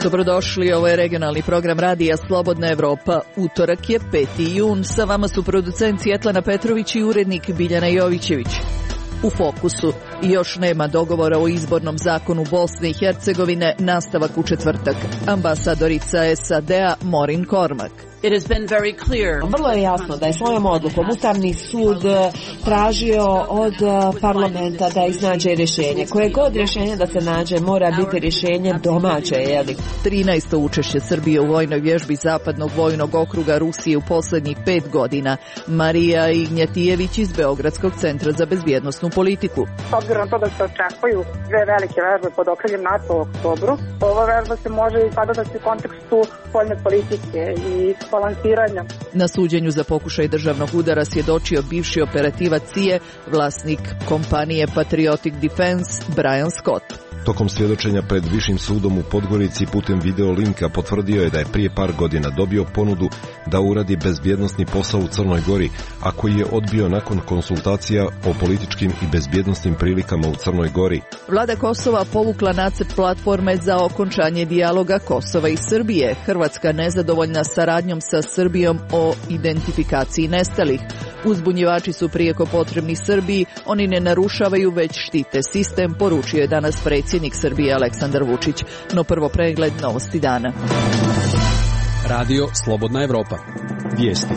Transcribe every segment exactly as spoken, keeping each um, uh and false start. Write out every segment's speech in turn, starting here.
Dobrodošli, ovo je regionalni program radija Slobodna Evropa. Utorak je peti jun, sa vama su producent Svjetlana Petrović i urednik Biljana Jovićević. U fokusu još nema dogovora o izbornom zakonu Bosne i Hercegovine, nastavak u četvrtak. Ambasadorica S A D-a Maureen Cormack. It has been very clear. Vrlo je jasno da je svojom odlukom Ustavni sud tražio od parlamenta da iznađe rješenje. Koje god rješenje da se nađe mora biti rješenje domaće, jeli? trinaesto učešće Srbije u vojnoj vježbi Zapadnog vojnog okruga Rusije u posljednjih pet godina. Marija Ignjatijević iz Beogradskog centra za bezbjednosnu politiku. S obzirom na to da se očekuju dve velike vežbe pod okriljem NATO u oktobru, ova vežba se može i sagledati u kontekstu spoljne politike i balansiranja. Na suđenju za pokušaj državnog udara svjedočio bivši operativac C I A E, vlasnik kompanije Patriotic Defense, Brian Scott. Tokom svjedočenja pred Višim sudom u Podgorici putem video linka potvrdio je da je prije par godina dobio ponudu da uradi bezbjednosni posao u Crnoj Gori, a koji je odbio nakon konsultacija o političkim i bezbjednosnim prilikama u Crnoj Gori. Vlada Kosova povukla nacrt platforme za okončanje dijaloga Kosova i Srbije. Hrvatska nezadovoljna saradnjom sa Srbijom o identifikaciji nestalih. Uzbunjivači su prijeko potrebni Srbiji, oni ne narušavaju već štite sistem, poručio je danas predsjednik Srbije Aleksandar Vučić. No prvo pregled novosti dana. Radio Slobodna Evropa. Vijesti.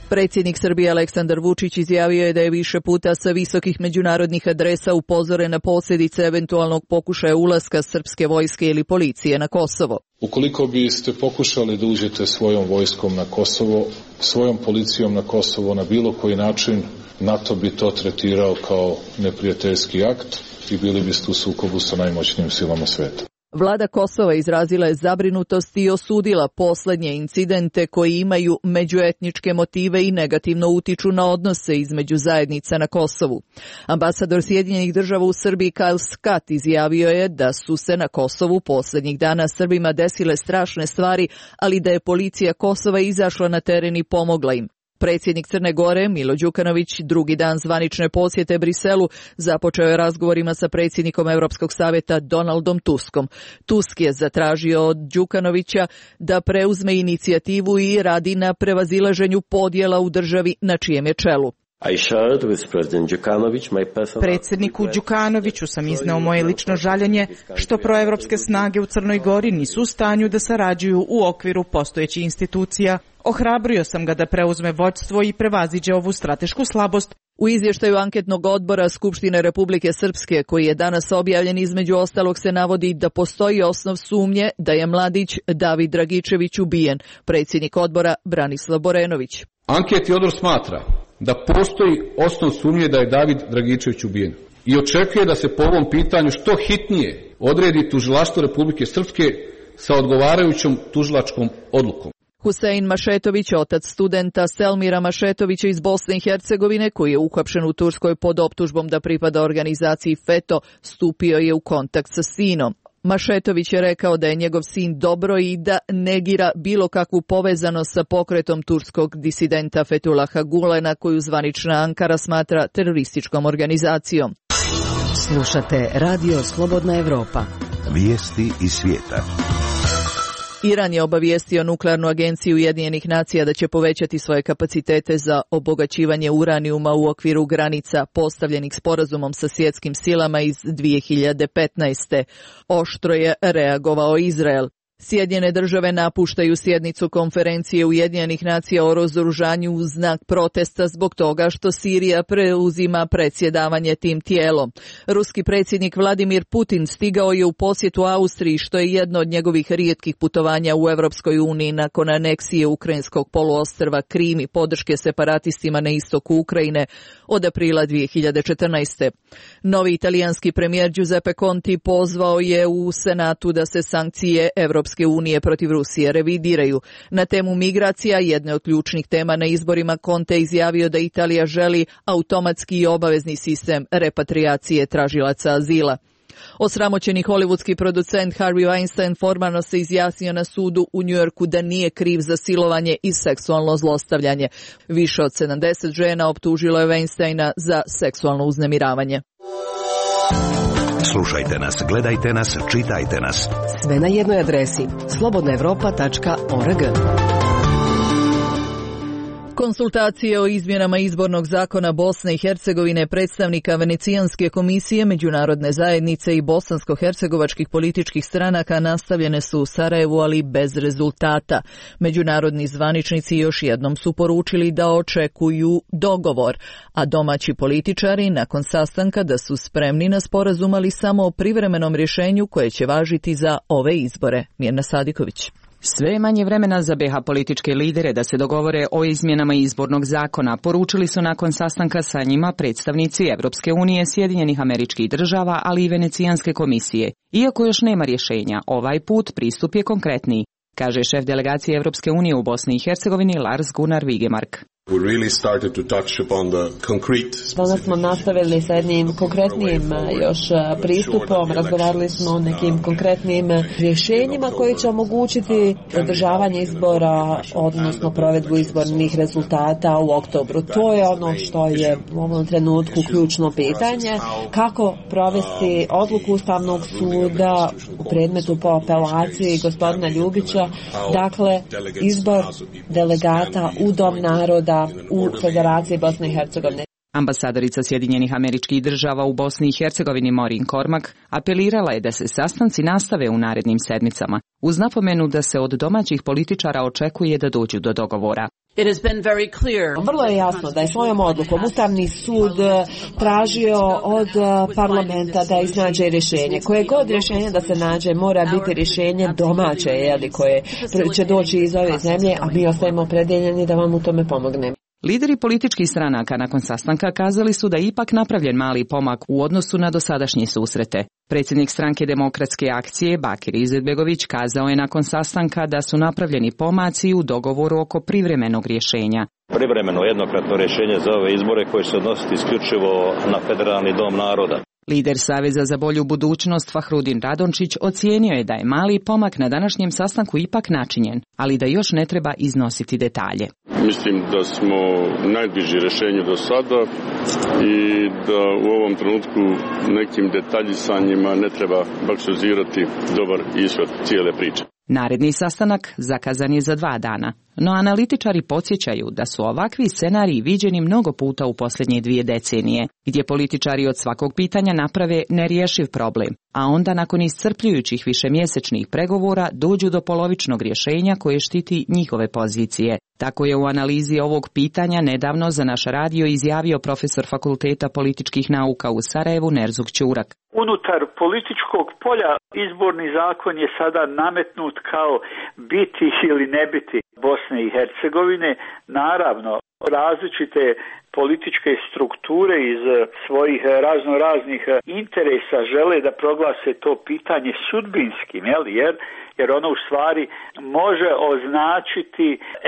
Predsjednik Srbije Aleksandar Vučić izjavio je da je više puta sa visokih međunarodnih adresa upozoren na posljedice eventualnog pokušaja ulaska srpske vojske ili policije na Kosovo. Ukoliko biste pokušali da uđete svojom vojskom na Kosovo, svojom policijom na Kosovo na bilo koji način, NATO bi to tretirao kao neprijateljski akt i bili biste u sukobu sa najmoćnijim silama sveta. Vlada Kosova izrazila je zabrinutost i osudila posljednje incidente koji imaju međuetničke motive i negativno utiču na odnose između zajednica na Kosovu. Ambasador Sjedinjenih država u Srbiji Kyle Scott izjavio je da su se na Kosovu posljednjih dana Srbima desile strašne stvari, ali da je policija Kosova izašla na teren i pomogla im. Predsjednik Crne Gore, Milo Đukanović, drugi dan zvanične posjete Briselu, započeo je razgovorima sa predsjednikom Europskog savjeta Donaldom Tuskom. Tusk je zatražio od Đukanovića da preuzme inicijativu i radi na prevazilaženju podjela u državi na čijem je čelu. Predsjedniku Đukanoviću sam izneo moje lično žaljenje što proevropske snage u Crnoj Gori nisu u stanju da sarađuju u okviru postojećih institucija. Ohrabrio sam ga da preuzme vođstvo i prevaziđe ovu stratešku slabost. U izvještaju anketnog odbora Skupštine Republike Srpske, koji je danas objavljen, između ostalog se navodi da postoji osnov sumnje da je mladić David Dragičević ubijen. Predsjednik odbora Branislav Borenović. Anketni odbor smatra da postoji osnov sumnje da je David Dragičević ubijen i očekuje da se po ovom pitanju što hitnije odredi tužilaštvo Republike Srpske sa odgovarajućom tužilačkom odlukom. Husein Mašetović, otac studenta Selmira Mašetovića iz Bosne i Hercegovine, koji je uhapšen u Turskoj pod optužbom da pripada organizaciji FETO, stupio je u kontakt sa sinom. Mašetović je rekao da je njegov sin dobro i da negira bilo kakvu povezanost sa pokretom turskog disidenta Fethulaha Gulena, koju zvanična Ankara smatra terorističkom organizacijom. Slušate Radio Slobodna Evropa. Vijesti iz svijeta. Iran je obavijestio nuklearnu agenciju Ujedinjenih nacija da će povećati svoje kapacitete za obogaćivanje uranijuma u okviru granica postavljenih sporazumom sa svjetskim silama iz dvije hiljade petnaeste. Oštro je reagovao Izrael. Sjedinjene države napuštaju sjednicu konferencije Ujedinjenih nacija o razoružanju u znak protesta zbog toga što Sirija preuzima predsjedavanje tim tijelom. Ruski predsjednik Vladimir Putin stigao je u posjetu Austriji, što je jedno od njegovih rijetkih putovanja u Europskoj uniji nakon aneksije ukrajinskog poluostrva Krim i podrške separatistima na istoku Ukrajine od aprila dvije hiljade četrnaeste. Novi italijanski premijer Giuseppe Conte pozvao je u Senatu da se sankcije Europske unije protiv Rusije revidiraju. Na temu migracija, jedne od ključnih tema na izborima, Conte izjavio da Italija želi automatski i obavezni sistem repatriacije tražilaca azila. Osramoćeni hollywoodski producent Harvey Weinstein formalno se izjasnio na sudu u Njujorku da nije kriv za silovanje i seksualno zlostavljanje. Više od sedamdeset žena optužilo je Weinsteina za seksualno uznemiravanje. Slušajte nas, gledajte nas, čitajte nas. Sve na jednoj adresi slobodna evropa tačka org. Konsultacije o izmjenama izbornog zakona Bosne i Hercegovine predstavnika Venecijanske komisije, međunarodne zajednice i bosansko-hercegovačkih političkih stranaka nastavljene su u Sarajevu, ali bez rezultata. Međunarodni zvaničnici još jednom su poručili da očekuju dogovor, a domaći političari nakon sastanka da su spremni na sporazum, ali samo o privremenom rješenju koje će važiti za ove izbore. Mirna Sadiković. Sve je manje vremena za be ha političke lidere da se dogovore o izmjenama izbornog zakona, poručili su nakon sastanka sa njima predstavnici Evropske unije, Sjedinjenih Američkih Država, ali i Venecijanske komisije. Iako još nema rješenja, ovaj put pristup je konkretniji, kaže šef delegacije Evropske unije u Bosni i Hercegovini Lars Gunnar Vigemark. Danas smo nastavili sa jednim konkretnim još pristupom, razgovarali smo o nekim konkretnim rješenjima koji će omogućiti održavanje izbora, odnosno provedbu izbornih rezultata u oktobru. To je ono što je u ovom trenutku ključno pitanje, kako provesti odluku Ustavnog suda u predmetu po apelaciji gospodina Ljubića, dakle izbor delegata u Dom naroda u Federaciji Bosne i Hercegovine. Ambasadorica Sjedinjenih Američkih Država u Bosni i Hercegovini Maureen Cormack apelirala je da se sastanci nastave u narednim sedmicama, uz napomenu da se od domaćih političara očekuje da dođu do dogovora. It has been very clear. Vrlo je jasno da je svojom odlukom Ustavni sud tražio od parlamenta da iznađe rješenje. Koje god rješenje da se nađe mora biti rješenje domaće, jeli, koje će doći iz ove zemlje, a mi ostajemo opredeljeni da vam u tome pomognemo. Lideri političkih stranaka nakon sastanka kazali su da je ipak napravljen mali pomak u odnosu na dosadašnje susrete. Predsjednik stranke Demokratske akcije Bakir Izetbegović kazao je nakon sastanka da su napravljeni pomaci u dogovoru oko privremenog rješenja. Privremeno jednokratno rješenje za ove izbore koje se odnositi isključivo na Federalni dom naroda. Lider Saveza za bolju budućnost Fahrudin Radončić ocijenio je da je mali pomak na današnjem sastanku ipak načinjen, ali da još ne treba iznositi detalje. Mislim da smo najbliži rješenju do sada i da u ovom trenutku nekim detaljisanjima ne treba baksuzirati dobar ishod cijele priče. Naredni sastanak zakazan je za dva dana, no analitičari podsjećaju da su ovakvi scenariji viđeni mnogo puta u posljednje dvije decenije, gdje političari od svakog pitanja naprave nerješiv problem, a onda nakon iscrpljujućih višemjesečnih pregovora dođu do polovičnog rješenja koje štiti njihove pozicije. Tako je u analizi ovog pitanja nedavno za naš radio izjavio profesor Fakulteta političkih nauka u Sarajevu Nerzuk Ćurak. Unutar političkog polja izborni zakon je sada nametnut kao biti ili ne biti Bosne i Hercegovine. Naravno, različite političke strukture iz svojih razno raznih interesa žele da proglase to pitanje sudbinskim, jel? jer jer ono u stvari može označiti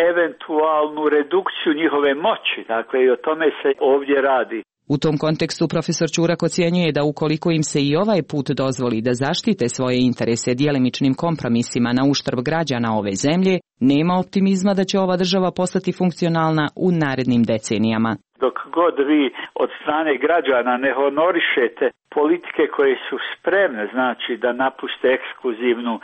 eventualnu redukciju njihove moći. Dakle, i o tome se ovdje radi. U tom kontekstu profesor Ćurak ocjenjuje da ukoliko im se i ovaj put dozvoli da zaštite svoje interese djelimičnim kompromisima na uštrb građana ove zemlje, nema optimizma da će ova država postati funkcionalna u narednim decenijama. Dok god vi od strane građana ne honorišete politike koje su spremne, znači da napuste ekskluzivnu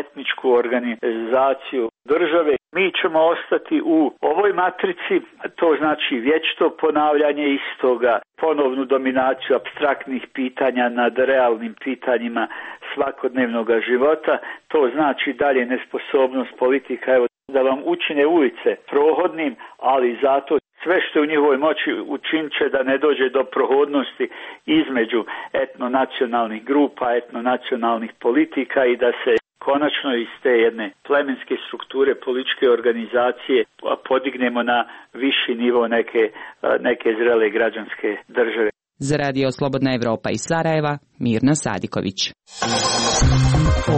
etničku organizaciju države, mi ćemo ostati u ovoj matrici, to znači vječito ponavljanje istoga, ponovnu dominaciju apstraktnih pitanja nad realnim pitanjima svakodnevnog života, to znači dalje nesposobnost politika, evo, da vam učine ulice prohodnim, ali zato sve što je u njihovoj moći učinit će da ne dođe do prohodnosti između etnonacionalnih grupa, etnonacionalnih politika i da se konačno iz te jedne plemenske strukture političke organizacije podignemo na viši nivo neke, neke zrele građanske države. Za Radio Slobodna Evropa iz Sarajeva, Mirna Sadiković.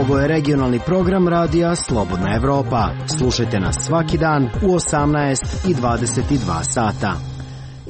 Ovo je regionalni program Radija Slobodna Evropa. Slušajte nas svaki dan u osamnaest i dvadeset dva sata.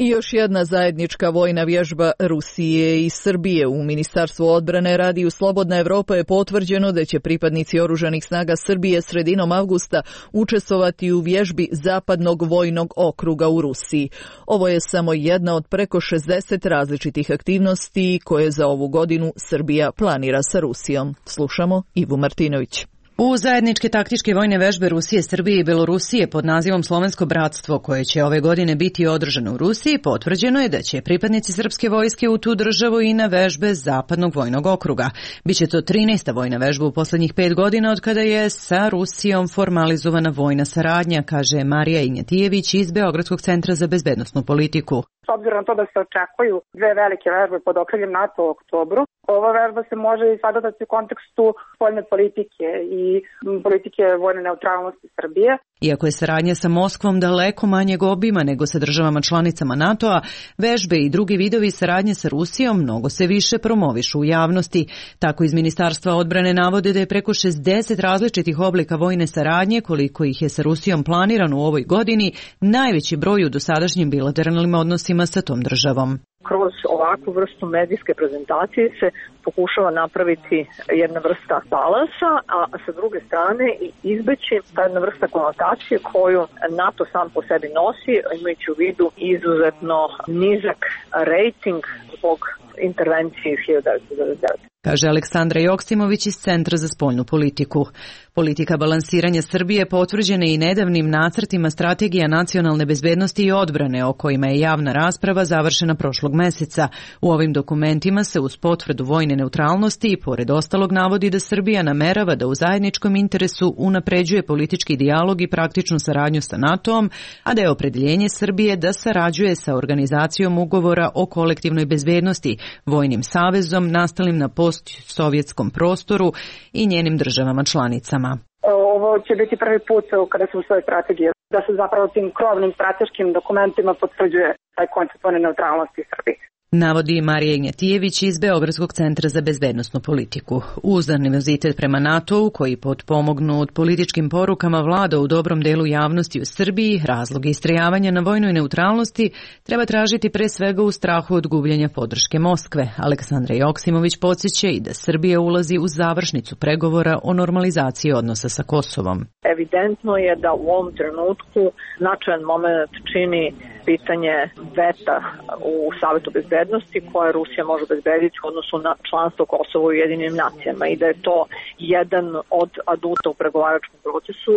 I još jedna zajednička vojna vježba Rusije i Srbije. U Ministarstvu odbrane Radiju Slobodna Evropa je potvrđeno da će pripadnici oružanih snaga Srbije sredinom avgusta učestvovati u vježbi Zapadnog vojnog okruga u Rusiji. Ovo je samo jedna od preko šezdeset različitih aktivnosti koje za ovu godinu Srbija planira sa Rusijom. Slušamo Ivu Martinović. U zajedničke taktičke vojne vežbe Rusije, Srbije i Belorusije pod nazivom Slovensko bratstvo, koje će ove godine biti održano u Rusiji, potvrđeno je da će pripadnici srpske vojske u tu državu i na vežbe Zapadnog vojnog okruga. Biće to trinaesta vojna vežba u posljednjih pet godina od kada je sa Rusijom formalizovana vojna saradnja, kaže Marija Ignjatijević iz Beogradskog centra za bezbednosnu politiku. S obzirom na to da se očekuju dve velike vežbe pod okriljem NATO u oktobru, ova vežba se može i sagledati u kontekstu spoljne politike i politike vojne neutralnosti Srbije. Iako je saradnja sa Moskvom daleko manjeg obima nego sa državama članicama NATO-a, vežbe i drugi vidovi saradnje sa Rusijom mnogo se više promovišu u javnosti. Tako iz Ministarstva odbrane navode da je preko šezdeset različitih oblika vojne saradnje, koliko ih je sa Rusijom planirano u ovoj godini, najveći broj u dosadašnjim bilateralnim odnosima sa tom državom. Kroz ovakvu vrstu medijske prezentacije se pokušava napraviti jedna vrsta balansa, a sa druge strane izbeći ta jedna vrsta konotacije koju NATO sam po sebi nosi, imajući u vidu izuzetno nizak rejting zbog intervencije iz hiljadu devetsto devedeset devete. Kaže Aleksandra Joksimović iz Centra za spoljnu politiku. Politika balansiranja Srbije potvrđena je i nedavnim nacrtima strategija nacionalne bezbednosti i odbrane o kojima je javna rasprava završena prošlog meseca. U ovim dokumentima se uz potvrdu vojne neutralnosti i pored ostalog navodi da Srbija namerava da u zajedničkom interesu unapređuje politički dijalog i praktičnu saradnju sa NATO-om, a da je opredeljenje Srbije da sarađuje sa organizacijom ugovora o kolektivnoj bezbednosti, vojnim savezom nastalim na post-sovjetskom prostoru i njenim državama članicama. Ovo će biti prvi put kada se usvoji strategija, da se zapravo tim krovnim strateškim dokumentima potvrđuje taj koncept vojne neutralnosti Srbije. Navodi Marija Ignjatijević iz Beogradskog centra za bezbednosnu politiku. Uz animozitet prema NATO-u, koji potpomognut političkim porukama vlada u dobrom delu javnosti u Srbiji, razloge istrajavanja na vojnoj neutralnosti treba tražiti pre svega u strahu od gubljenja podrške Moskve. Aleksandra Joksimović podsjeća i da Srbija ulazi u završnicu pregovora o normalizaciji odnosa sa Kosovom. Evidentno je da u ovom trenutku značajan moment čini pitanje veta u Savetu bezbednosti koje Rusija može obezbediti u odnosu na članstvo Kosova u Ujedinjenim nacijama i da je to jedan od aduta u pregovaračkom procesu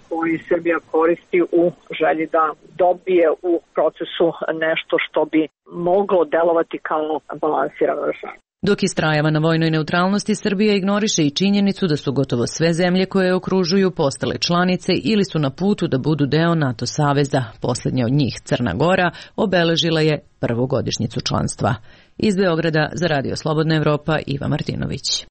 koji Srbija koristi u želji da dobije u procesu nešto što bi moglo delovati kao balansirano rešenje. Dok istrajava na vojnoj neutralnosti, Srbija ignoriše i činjenicu da su gotovo sve zemlje koje je okružuju postale članice ili su na putu da budu deo NATO saveza. Posljednja od njih, Crna Gora, obeležila je prvu godišnjicu članstva. Iz Beograda za Radio Slobodna Evropa, Iva Martinović.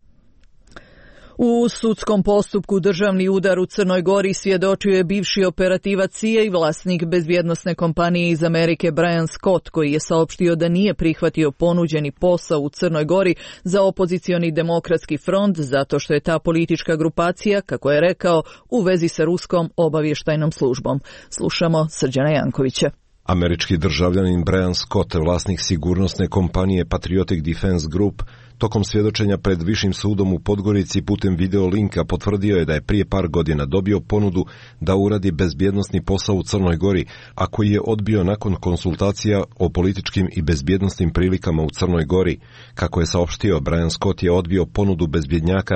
U sudskom postupku državni udar u Crnoj Gori svjedočio je bivši operativac C I A i vlasnik bezbjednosne kompanije iz Amerike Brian Scott, koji je saopštio da nije prihvatio ponuđeni posao u Crnoj Gori za opozicioni demokratski front zato što je ta politička grupacija, kako je rekao, u vezi sa ruskom obavještajnom službom. Slušamo Srđana Jankovića. Američki državljanin Brian Scott, vlasnik sigurnosne kompanije Patriotic Defense Group, tokom svjedočenja pred Višim sudom u Podgorici putem video linka potvrdio je da je prije par godina dobio ponudu da uradi bezbjednosni posao u Crnoj Gori, a koji je odbio nakon konsultacija o političkim i bezbjednosnim prilikama u Crnoj Gori. Kako je saopštio, Brian Scott je odbio ponudu bezbjednjaka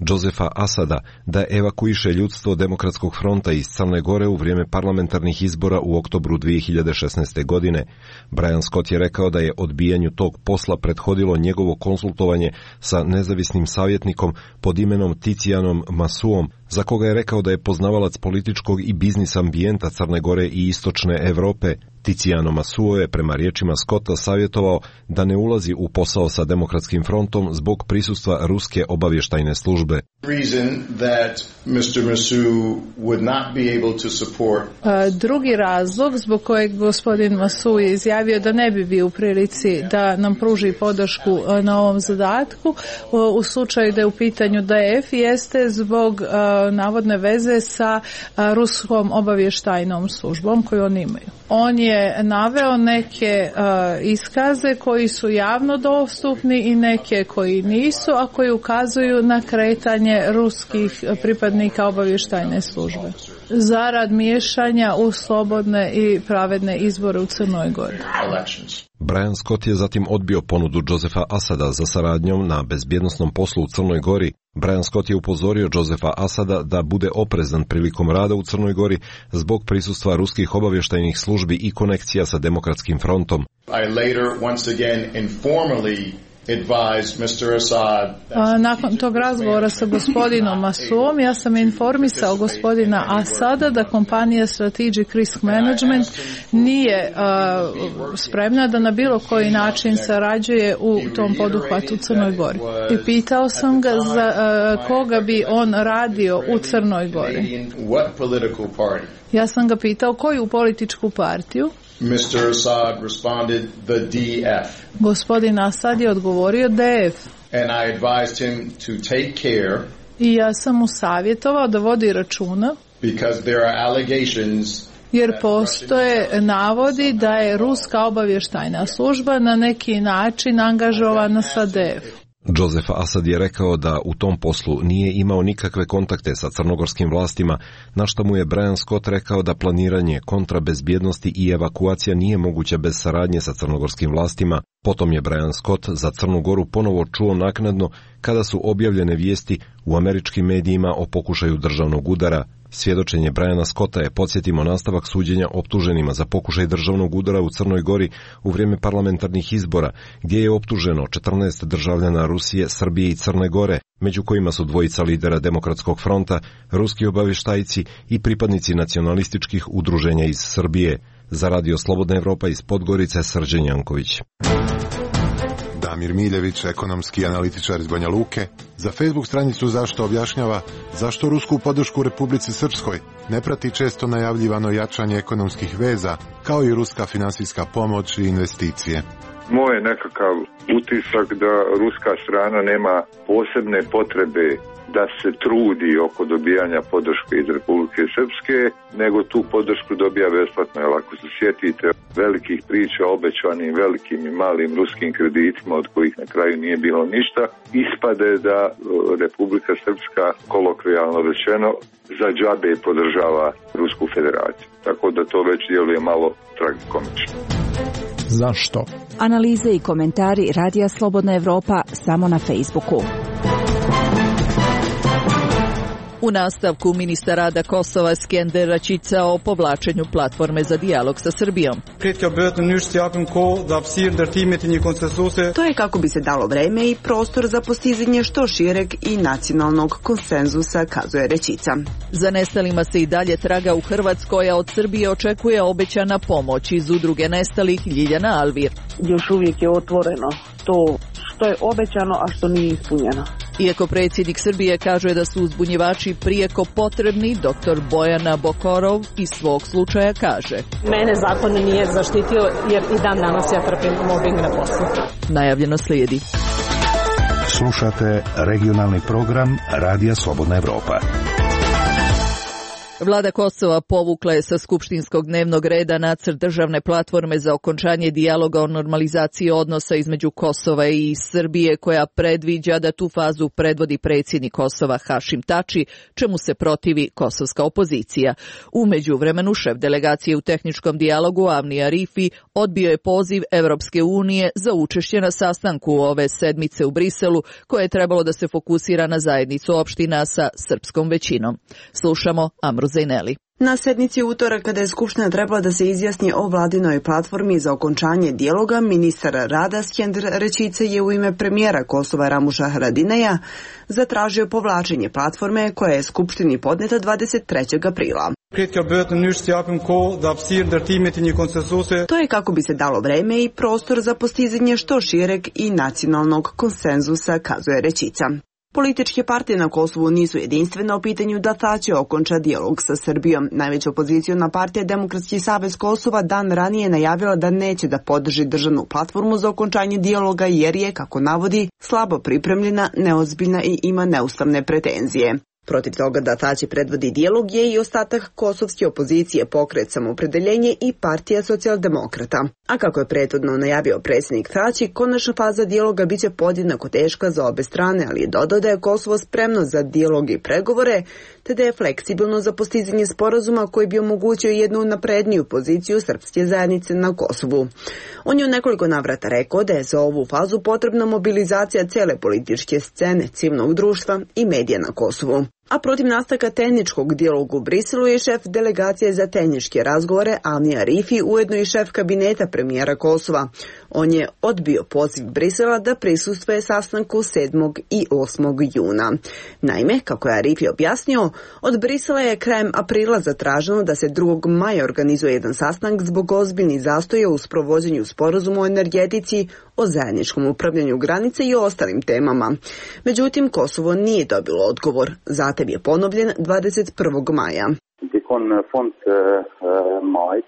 Josefa Asada da evakuiše ljudstvo Demokratskog fronta iz Crne Gore u vrijeme parlamentarnih izbora u oktobru dvije hiljade šesnaeste. godine. Brian Scott je rekao da je odbijanju tog posla prethodilo njegovo konsultovanje sa nezavisnim savjetnikom pod imenom Ticijanom Masuom, za koga je rekao da je poznavalac političkog i biznis ambijenta Crne Gore i istočne Evrope. Ticijano Masuo je prema riječima Scotta savjetovao da ne ulazi u posao sa Demokratskim frontom zbog prisustva ruske obavještajne službe. Drugi razlog zbog kojeg gospodin Masu je izjavio da ne bi bio u prilici da nam pruži podršku na ovom zadatku u slučaju da je u pitanju D F jeste zbog navodne veze sa ruskom obavještajnom službom koju oni imaju. On je naveo neke uh, iskaze koji su javno dostupni i neke koji nisu, a koji ukazuju na kretanje ruskih pripadnika obavještajne službe zarad miješanja u slobodne i pravedne izbore u Crnoj Gori. Brian Scott je zatim odbio ponudu Josefa Asada za saradnjom na bezbjednosnom poslu u Crnoj Gori. Brian Scott je upozorio Josefa Asada da bude oprezan prilikom rada u Crnoj Gori zbog prisustva ruskih obavještajnih službi i konekcija sa Demokratskim frontom. I later once again informally advised mister Assad. A, nakon tog razgovora sa gospodinom Masuom, ja sam informisao gospodina Asada da kompanija Strategic Risk Management nije a, spremna da na bilo koji način sarađuje u tom poduhvatu u Crnoj Gori. I pitao sam ga za a, koga bi on radio u Crnoj Gori. Ja sam ga pitao koju političku partiju. mister Assad responded the D F. Gospodin Asad je odgovorio D F. And I advised him to take care. I ja sam mu savjetovao da vodi računa. Because there are allegations. Jer postoje navodi da je ruska obavještajna služba na neki način angažovana sa D F. Joseph Asad je rekao da u tom poslu nije imao nikakve kontakte sa crnogorskim vlastima, na što mu je Brian Scott rekao da planiranje kontrabezbjednosti i evakuacija nije moguća bez saradnje sa crnogorskim vlastima. Potom je Brian Scott za Crnu Goru ponovo čuo naknadno kada su objavljene vijesti u američkim medijima o pokušaju državnog udara. Svjedočenje Briana Scotta je, podsjetimo, nastavak suđenja optuženima za pokušaj državnog udara u Crnoj Gori u vrijeme parlamentarnih izbora, gdje je optuženo četrnaest državljana Rusije, Srbije i Crne Gore, među kojima su dvojica lidera Demokratskog fronta, ruski obavještajci i pripadnici nacionalističkih udruženja iz Srbije. Za Radio Slobodna Evropa iz Podgorice, Srđan Janković. Damir Miljević, ekonomski analitičar iz Banja Luke, za Facebook stranicu Zašto objašnjava zašto rusku podršku Republici Srpskoj ne prati često najavljivano jačanje ekonomskih veza, kao i ruska finansijska pomoć i investicije. Moj je nekakav utisak da ruska strana nema posebne potrebe da se trudi oko dobijanja podrške iz Republike Srpske, nego tu podršku dobija besplatno. Jer ako se sjetite velikih priča o obećanim velikim i malim ruskim kreditima od kojih na kraju nije bilo ništa, ispade da Republika Srpska, kolokvijalno rečeno, za džabe podržava Rusku federaciju. Tako da to već djeluje malo tragikomično. Zašto? Analize i komentari Radija Slobodna Evropa samo na Facebooku. U nastavku ministar rada Kosova Skender Račica o povlačenju platforme za dijalog sa Srbijom. To je kako bi se dalo vreme i prostor za postizanje što šireg i nacionalnog konsenzusa, kazuje Rečica. Za nestalima se i dalje traga u Hrvatskoj, a od Srbije očekuje obećana pomoć iz udruge nestalih Ljiljana Alvir. Još uvijek je otvoreno to što je obećano, a što nije ispunjeno. Iako predsjednik Srbije kaže da su uzbunjivači prijeko potrebni, doktor Bojana Bokorov iz svog slučaja kaže: Mene zakon nije zaštitio jer i dan danas ja trpim mobbing na poslu. Najavljeno slijedi. Slušate regionalni program Radija Slobodna Evropa. Vlada Kosova povukla je sa skupštinskog dnevnog reda nacrt državne platforme za okončanje dijaloga o normalizaciji odnosa između Kosova i Srbije, koja predviđa da tu fazu predvodi predsjednik Kosova Hašim Tači, čemu se protivi kosovska opozicija. U međuvremenu šef delegacije u tehničkom dijalogu Avni Arifi odbio je poziv Evropske unije za učešće na sastanku ove sedmice u Briselu, koje je trebalo da se fokusira na zajednicu opština sa srpskom većinom. Slušamo Amru Zajneli. Na sednici utorak, kada je Skupština trebala da se izjasni o vladinoj platformi za okončanje dijaloga, ministar rada Skender Rečica je u ime premijera Kosova Ramuša Haradinaja zatražio povlačenje platforme koja je Skupštini podneta dvadeset trećeg aprila. To je kako bi se dalo vreme i prostor za postizanje što šireg i nacionalnog konsenzusa, kazuje Rečica. Političke partije na Kosovu nisu jedinstvene o pitanju da ta će okonča dijalog sa Srbijom. Najveća opoziciona partija Demokratski savez Kosova dan ranije najavila da neće da podrži državnu platformu za okončanje dijaloga jer je, kako navodi, slabo pripremljena, neozbiljna i ima neustavne pretenzije. Protiv toga da Tači predvodi dijalog je i ostatak kosovske opozicije, Pokret Samoopredeljenje i Partija socijaldemokrata. A kako je prethodno najavio predsjednik Tači, konačna faza dijaloga biće podjednako teška za obe strane, ali je dodao da je Kosovo spremno za dijalog i pregovore, te da je fleksibilno za postizanje sporazuma koji bi omogućio jednu napredniju poziciju srpske zajednice na Kosovu. On je u nekoliko navrata rekao da je za ovu fazu potrebna mobilizacija cele političke scene, civilnog društva i medija na Kosovu. A protiv nastavka tehničkog dijaloga u Briselu je šef delegacije za tehničke razgovore Alni Arifi, ujedno i šef kabineta premijera Kosova. On je odbio poziv Brisela da prisustvuje sastanku sedmog i osmog juna. Naime, kako je Arifi objasnio, od Brisela je krajem aprila zatraženo da se drugog maja organizuje jedan sastanak zbog ozbiljnih zastoja u sprovođenju sporazuma o energetici, o zajedničkom upravljanju granice i o ostalim temama. Međutim, Kosovo nije dobilo odgovor. Zatim je ponovljen dvadeset prvog maja.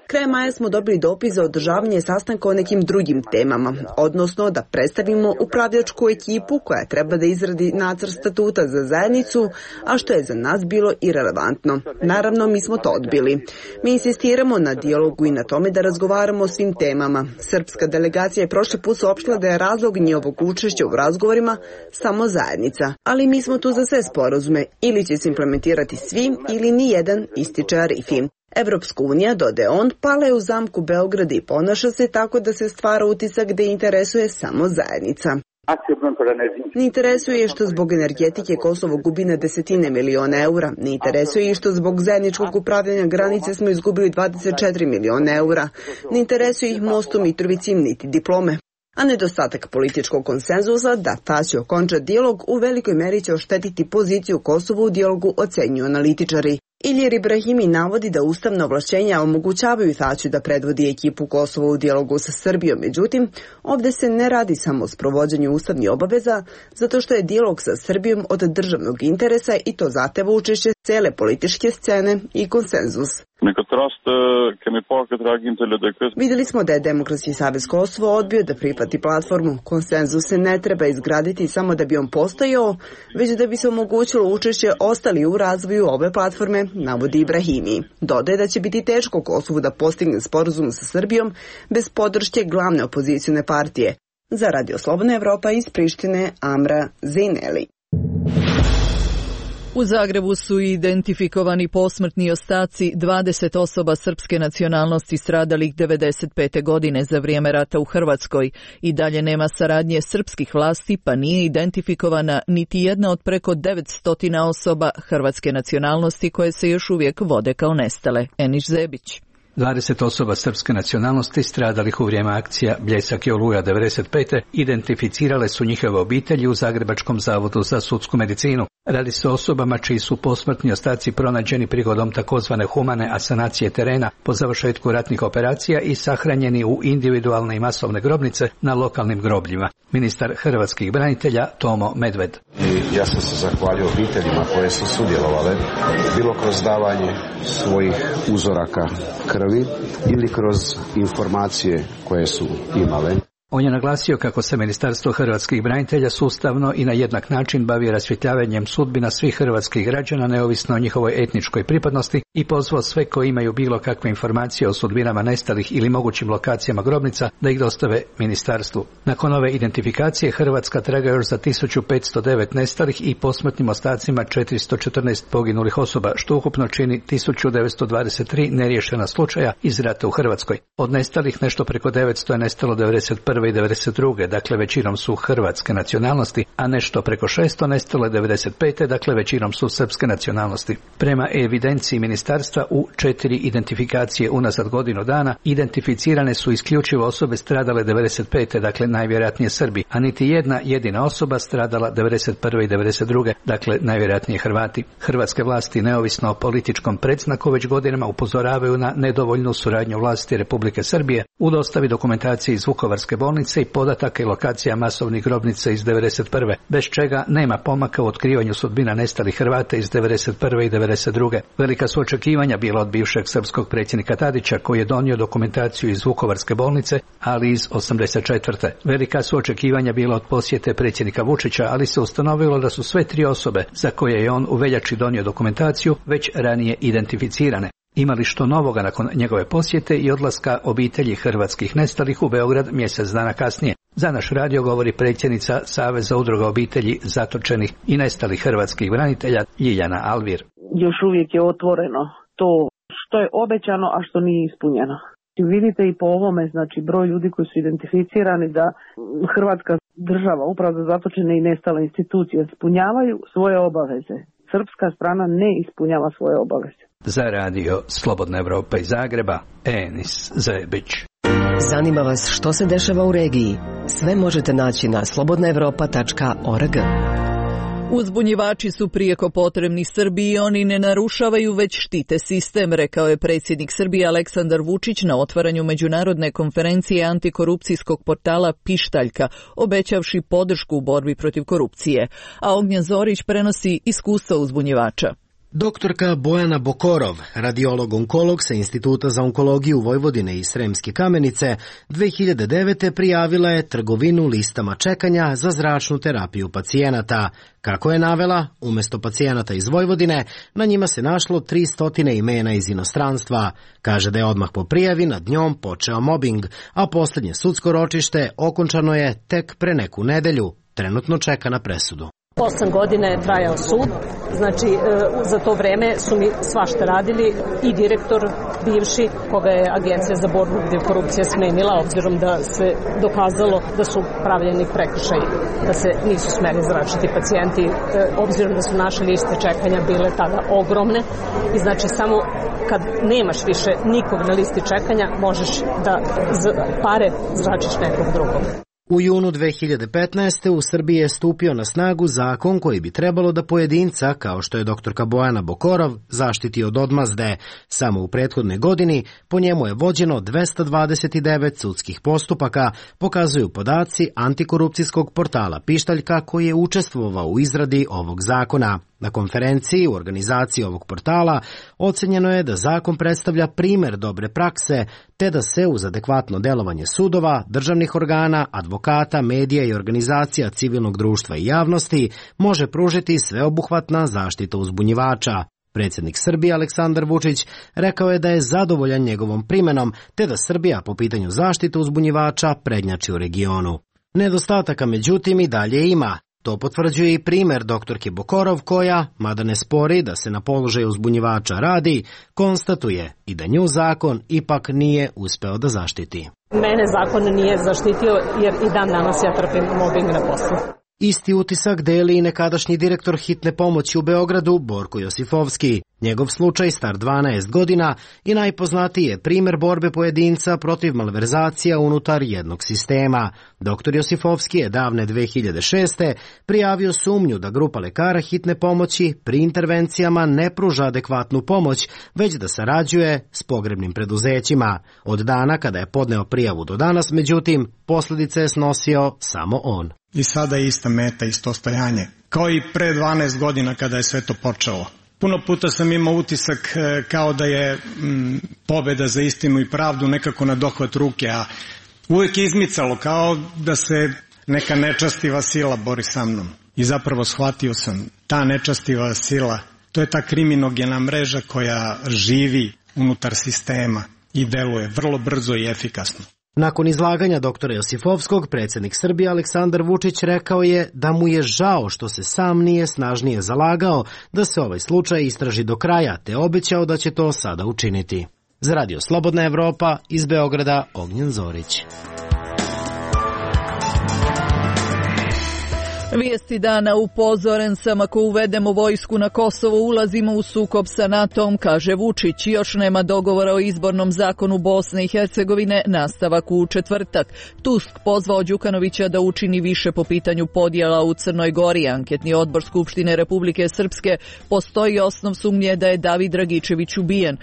Krajem maja smo dobili dopis za održavanje sastanka o nekim drugim temama, odnosno da predstavimo upravljačku ekipu koja treba da izradi nacrt statuta za zajednicu, a što je za nas bilo irelevantno. Naravno, mi smo to odbili. Mi insistiramo na dijalogu i na tome da razgovaramo o svim temama. Srpska delegacija je prošli put saopštila da je razlog njihovog učešća u razgovorima samo zajednica, ali mi smo tu za sve sporazume, ili će se implementirati svi ili ni jedan, ističe Arifi. Evropska unija, dodaje on, pala je u zamku Beograda i ponaša se tako da se stvara utisak da interesuje samo zajednica. Ne interesuje je što zbog energetike Kosovo gubi na desetine miliona eura. Ne interesuje je što zbog zajedničkog upravljanja granice smo izgubili dvadeset četiri miliona eura. Ne interesuje ih most u Mitrovici niti diplome. A nedostatak političkog konsenzusa da Tači okonča dijalog u velikoj meri će oštetiti poziciju Kosova u dijalogu, ocenjuju analitičari. Ilir Ibrahimi navodi da ustavna ovlašćenja omogućavaju Tači da predvodi ekipu Kosova u dijalogu sa Srbijom. Međutim, ovdje se ne radi samo o sprovođenju ustavnih obaveza, zato što je dijalog sa Srbijom od državnog interesa i to zahteva učešće cele političke scene i konsenzus. Vidjeli smo da je Demokratski savez Kosovo odbio da prihvati platformu. Konsenzus se ne treba izgraditi samo da bi on postojao, već da bi se omogućilo učešće ostali u razvoju ove platforme, navodi Ibrahimi. Dodaje da će biti teško Kosovu da postigne sporazum sa Srbijom bez podrške glavne opozicione partije. Za Radio Slobodna Evropa iz Prištine, Amra Zejneli. U Zagrebu su identifikovani posmrtni ostaci dvadeset osoba srpske nacionalnosti stradalih devedeset pete godine za vrijeme rata u Hrvatskoj. I dalje nema saradnje srpskih vlasti, pa nije identifikovana niti jedna od preko devetsto osoba hrvatske nacionalnosti koje se još uvijek vode kao nestale. Eniš Zebić. dvadeset osoba srpske nacionalnosti stradalih u vrijeme akcija Bljesak i Oluja devedeset pete identificirale su njihove obitelji u Zagrebačkom zavodu za sudsku medicinu. Radi se o osobama čiji su posmrtni ostaci pronađeni prigodom takozvane humane asanacije terena po završetku ratnih operacija i sahranjeni u individualne i masovne grobnice na lokalnim grobljima. Ministar hrvatskih branitelja Tomo Medved. I ja sam se zahvalio obiteljima koje su sudjelovale, bilo kroz davanje svojih uzoraka krvi ili kroz informacije koje su imale. On je naglasio kako se Ministarstvo hrvatskih branitelja sustavno i na jednak način bavi rasvjetljavanjem sudbina svih hrvatskih građana neovisno o njihovoj etničkoj pripadnosti i pozvao sve koji imaju bilo kakve informacije o sudbinama nestalih ili mogućim lokacijama grobnica da ih dostave ministarstvu. Nakon ove identifikacije Hrvatska traga još za tisuću petsto devet nestalih i posmrtnim ostacima četiristo četrnaest poginulih osoba, što ukupno čini tisuću devetsto dvadeset tri neriješena slučaja iz rata u Hrvatskoj. Od nestalih nešto preko devetsto je nestalo devedeset prve i devedeset druge dakle većinom su hrvatske nacionalnosti, a nešto preko šesto nestalo je devedeset pete dakle većinom su srpske nacionalnosti. Prema evidenciji ministarstva u četiri identifikacije unazad godinu dana identificirane su isključivo osobe stradale devedeset pete dakle najvjerojatnije Srbi, a niti jedna jedina osoba stradala devedeset prve i devedeset druge dakle najvjerojatnije Hrvati. Hrvatske vlasti neovisno o političkom predznaku već godinama upozoravaju na nedovoljnu suradnju vlasti Republike Srbije u dostavi dokumentacije iz Vukovarske bolnice i podataka i lokacija masovnih grobnica iz devedeset prve, bez čega nema pomaka u otkrivanju sudbina nestalih Hrvata iz devedeset prve i devedeset druge. Velika su očekivanja bila od bivšeg srpskog predsjednika Tadića, koji je donio dokumentaciju iz Vukovarske bolnice, ali iz osamdeset četvrte. Velika su očekivanja bila od posjete predsjednika Vučića, ali se ustanovilo da su sve tri osobe za koje je on u veljači donio dokumentaciju već ranije identificirane. Ima li što novoga nakon njegove posjete i odlaska obitelji hrvatskih nestalih u Beograd mjesec dana kasnije? Za naš radio govori predsjednica Saveza udruga obitelji zatočenih i nestalih hrvatskih branitelja Ljiljana Alvir. Još uvijek je otvoreno to što je obećano, a što nije ispunjeno. Vidite i po ovome, znači broj ljudi koji su identificirani da Hrvatska država, upravo za zatočene i nestale institucije, ispunjavaju svoje obaveze. Srpska strana ne ispunjava svoje obaveze. Za radio Slobodna Evropa iz Zagreba, Enis Zebić. Zanima vas što se dešava u regiji? Sve možete naći na slobodna evropa tačka org. Uzbunjivači su prijeko potrebni Srbiji i oni ne narušavaju već štite sistem, rekao je predsjednik Srbije Aleksandar Vučić na otvaranju međunarodne konferencije antikorupcijskog portala Pištaljka, obećavši podršku u borbi protiv korupcije. A Ognjen Zorić prenosi iskustva uzbunjivača. Doktorka Bojana Bokorov, radiolog-onkolog sa Instituta za onkologiju Vojvodine i Sremske Kamenice, dve hiljade devete prijavila je trgovinu listama čekanja za zračnu terapiju pacijenata. Kako je navela, umjesto pacijenata iz Vojvodine, na njima se našlo tri stotine imena iz inostranstva. Kaže da je odmah po prijavi nad njom počeo mobing, a posljednje sudsko ročište okončano je tek pre neku nedelju. Trenutno čeka na presudu. Osam godina je trajao sud, znači za to vreme su mi svašta radili i direktor bivši, koga je Agencija za borbu protiv korupcije smenila, obzirom da se dokazalo da su pravljeni prekršaji, da se nisu smeli zračiti pacijenti, obzirom da su naše liste čekanja bile tada ogromne i znači samo kad nemaš više nikog na listi čekanja možeš da pare zračiš nekog drugog. U junu dve hiljade petnaeste. u Srbiji je stupio na snagu zakon koji bi trebalo da pojedinca, kao što je doktorka Bojana Bokorov, zaštiti od odmazde. Samo u prethodnoj godini po njemu je vođeno dvesta dvadeset devet sudskih postupaka, pokazuju podaci antikorupcijskog portala Pištaljka koji je učestvovao u izradi ovog zakona. Na konferenciji u organizaciji ovog portala ocenjeno je da zakon predstavlja primer dobre prakse, te da se uz adekvatno delovanje sudova, državnih organa, advokata, medija i organizacija civilnog društva i javnosti može pružiti sveobuhvatna zaštita uzbunjivača. Predsjednik Srbije Aleksandar Vučić rekao je da je zadovoljan njegovom primenom, te da Srbija po pitanju zaštite uzbunjivača prednjači u regionu. Nedostataka međutim i dalje ima. To potvrđuje i primjer doktorke Bokorov koja, mada ne spori da se na položaju uzbunjivača radi, konstatuje i da nju zakon ipak nije uspeo da zaštiti. Mene zakon nije zaštitio jer i dan danas ja trpim mobbing na poslu. Isti utisak deli i nekadašnji direktor hitne pomoći u Beogradu Borko Josifovski. Njegov slučaj, star dvanaest godina, i najpoznatiji je primjer borbe pojedinca protiv malverzacija unutar jednog sistema. Doktor Josifovski je davne dve hiljade šeste. prijavio sumnju da grupa lekara hitne pomoći pri intervencijama ne pruža adekvatnu pomoć, već da sarađuje s pogrebnim preduzećima. Od dana kada je podneo prijavu do danas, međutim, posljedice je snosio samo on. I sada je ista meta, isto stojanje. Kao i pre dvanaest godina kada je sve to počelo. Puno puta sam imao utisak kao da je m, pobjeda za istinu i pravdu nekako na dohvat ruke, a uvijek je izmicalo kao da se neka nečastiva sila bori sa mnom. I zapravo shvatio sam, ta nečastiva sila, to je ta kriminogena mreža koja živi unutar sistema i deluje vrlo brzo i efikasno. Nakon izlaganja doktora Josifovskog, predsjednik Srbije Aleksandar Vučić rekao je da mu je žao što se sam nije snažnije zalagao da se ovaj slučaj istraži do kraja, te obećao da će to sada učiniti. Za radio Slobodna Evropa, iz Beograda, Ognjen Zorić. Vijesti dana: upozoren sam, ako uvedemo vojsku na Kosovo ulazimo u sukob sa NATO-om, kaže Vučić. Još nema dogovora o izbornom zakonu Bosne i Hercegovine, nastavak u četvrtak. Tusk pozvao Đukanovića da učini više po pitanju podjela u Crnoj Gori. Anketni odbor Skupštine Republike Srpske: postoji osnov sumnje da je David Dragičević ubijen.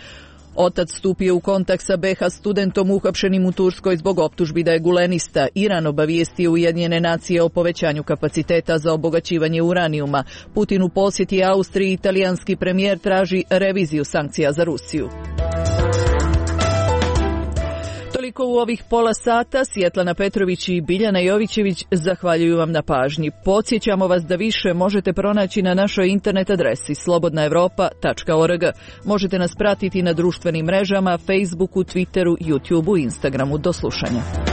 Otac stupio u kontakt sa be ha studentom uhapšenim u Turskoj zbog optužbi da je gulenista. Iran obavijestio Ujedinjene nacije o povećanju kapaciteta za obogaćivanje uranijuma. Putin u posjeti Austriji, italijanski premijer traži reviziju sankcija za Rusiju. Toliko u ovih pola sata. Svjetlana Petrović i Biljana Jovićević zahvaljuju vam na pažnji. Podsjećamo vas da više možete pronaći na našoj internet adresi slobodna evropa tačka org. Možete nas pratiti na društvenim mrežama, Facebooku, Twitteru, YouTubeu i Instagramu. Do slušanja.